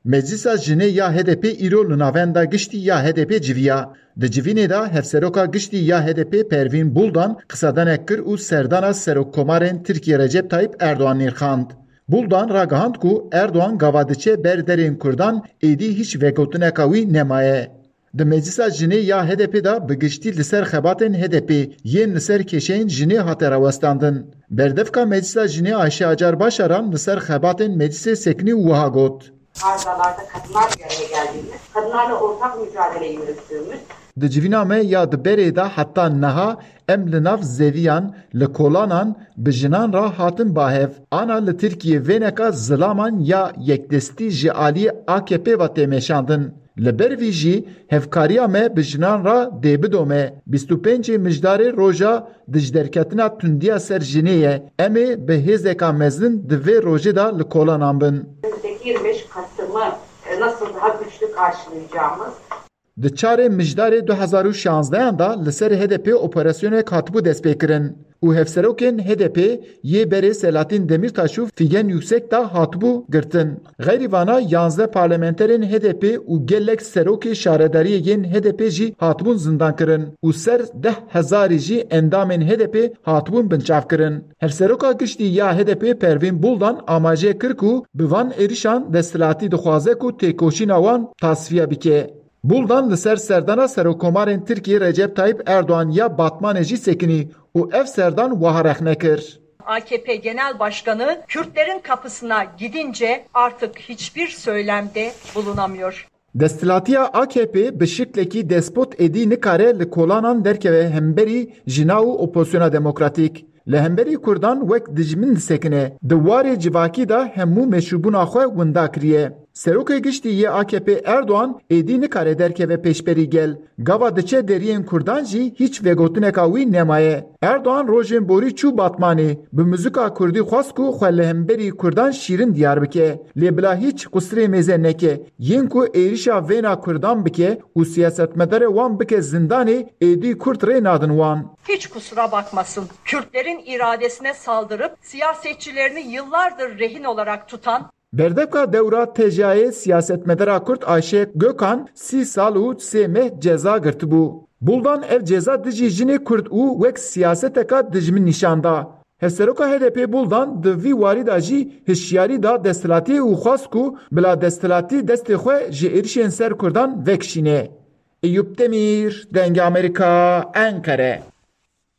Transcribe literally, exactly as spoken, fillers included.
Meclisa Jinê ya H D P îro li navenda giştî ya H D P civiya. Di civînê de Hevseroka Giştî ya H D P Pervîn Buldan qisedanek kir û serdana Serokkomarên Tirkiyê Recep Tayyip Erdogan nirxand. Buldan ragihand ku Erdogan gava diçe ber derên Kurdan êdî hîç vegotineka wî nemaye. Di Meclisa Jinê ya H D P de bi giştî li ser xebatên H D P yên li ser kêşeyên jinê hate rawestandin. Berdevka Meclisa Jinê Ayşe Acar Başaran li ser xebatên meclisê sekinî û wiha got. Arızalarda kadınlar bir araya geldiğimiz, kadınlarla ortak mücadele yürüttüğümüz Di civîna me ya di berê de heta niha em li nav zeviyan, li kolanan bi jinan re hatin ba hev. Ana li Tirkiyê vêneka zilaman ya yekdestî ji alî A K P ve tê meşandin. Li ber vî jî hevkariya me bi jinan re dê bidome. Bîst û pêncê Mijdarê roja dijderketina tundiya ser jinê ye. Em ê bi hêzeka mezin di vê rojê de li kolanan bin. Yirmi beş Kasım'ı e, nasıl daha güçlü karşılayacağımız Di çarê Mijdarê du hezar û şanzdehan de li ser H D P operasyonek hatibû destpêkirin û hevserokên H D P yê berê Selahattin Demirtaş û Figen Yüksek de hatibû girtin. Xeyrî vana yanzdeh parlamenterên H D P û gelek serokê şaredariyê yên H D P jî hatibûn zindankirin û ser deh hezarî jî endamên H D P hatibûn binçavkirin. Hevseroka Giştî ya H D P Pervîn Buldan amaje kir ku bi van êrişan desthilatî dixwaze ku têkoşîna wan tasfiye bike. Buldan li ser serdana Serokkomarên Tirkiyê Recep Tayyip Erdogan ya Batmanê jî sekinî û ev serdan wiha rexne kir. A K P Genel Başkanı Kürtlerin kapısına gidince artık hiçbir söylemde bulunamıyor. Desthilatiya A K P bi şiklekî despot êdî nikare li kolanan derkeve hemberî jina û opozisyona demokratîk. Li hemberî Kurdan wek dijmin disekine. Di warê civakî de hemû meşrûbûna xwe winda kiriye. Serokê Giştî yê A K P Erdogan êdî nikare derkeve pêşberî gel. Gava diçe deriyên Kurdan jî hîç vegotineka wî nemaye. Erdogan rojên borî çû Batmanê, bi muzika Kurdî xwest ku xwe li hemberî Kurdan şîrin diyar bike. Lê bila hîç qusirê mêze neke. Yên ku êrişa vêna Kurdan bike û siyasetmedarê wan bike zindanê, êdî Kurd rê nadin wan. Hiç kusura bakmasın, Kürtlerin iradesine saldırıp siyasetçilerini yıllardır rehin olarak tutan Berdevka dewra tejayê siyasetmedara Kurd Ayşe Gökhan sî sal û sê meh ceza girtibû. Buldan ev ceza dijî jinê Kurd û wek siyaseteka dijmin nîşan da. Hevseroka H D P Buldan di vî warî de jî hişyarî da desthilatiyê û xwest ku bila desthilatî destê xwe ji êrişên ser Kurdan vekişîne. Eyûp Demîr, Dengê Amerîka, Enqere.